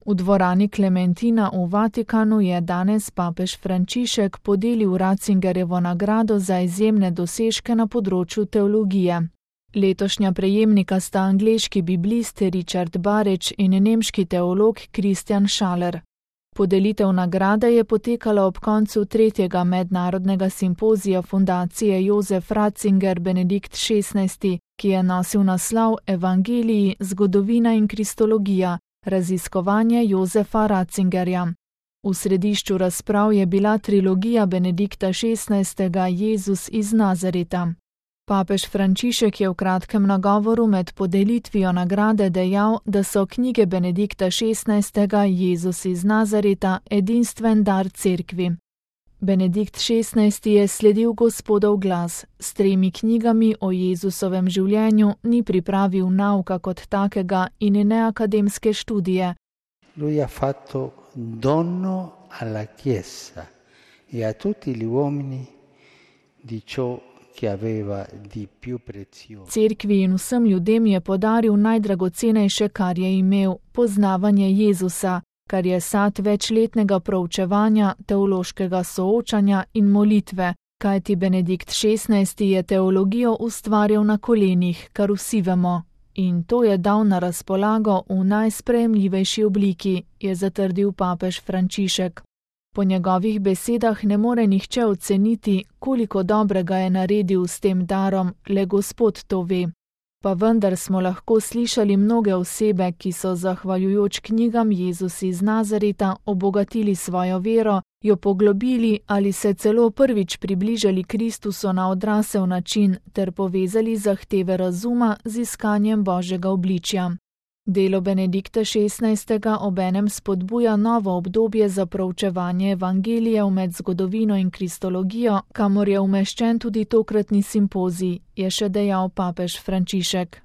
V dvorani Klementina v Vatikanu je danes papež Frančišek podelil Ratzingerjevo nagrado za izjemne dosežke na področju teologije. Letošnja prejemnika sta angleški biblist Richard Barič in nemški teolog Christian Schaller. Podelitev nagrade je potekala ob koncu 3. mednarodnega simpozija fundacije Josef Ratzinger Benedikt XVI, ki je nosil naslov Evangeliji, zgodovina in kristologija, raziskovanje Josefa Ratzingerja. V središču razprav je bila trilogija Benedikta XVI. Jezus iz Nazareta. Papež Frančišek je v kratkem nagovoru med podelitvijo nagrade dejal, da so knjige Benedikta XVI. Jezus iz Nazareta edinstven dar cerkvi. Benedikt XVI. Je sledil Gospodov glas. S 3 knjigami o Jezusovem življenju ni pripravil nauka kot takega in ne akademske študije. Lui ha fatto dono alla Chiesa e a tutti gli uomini di ciò che aveva di più prezioso. Cerkvi in vsem ljudem je podaril najdragocenejše, kar je imel, poznavanje Jezusa, kar je sad večletnega proučevanja, teološkega soočanja in molitve, kajti Benedikt XVI. Je teologijo ustvarjal na kolenih, kar vsi vemo, in to je dal na razpolago v najsprejemljivejši obliki, je zatrdil papež Frančišek. Po njegovih besedah ne more nihče oceniti, koliko dobrega je naredil s tem darom, le Gospod to ve. Pa vendar smo lahko slišali mnoge osebe, ki so zahvaljujoč knjigam Jezus iz Nazareta obogatili svojo vero, jo poglobili ali se celo prvič približali Kristusu na odrasel način ter povezali zahteve razuma z iskanjem Božjega obličja. Delo Benedikta XVI. Obenem spodbuja novo obdobje za proučevanje evangelijev med zgodovino in kristologijo, kamor je umeščen tudi tokratni simpozij, je še dejal papež Frančišek.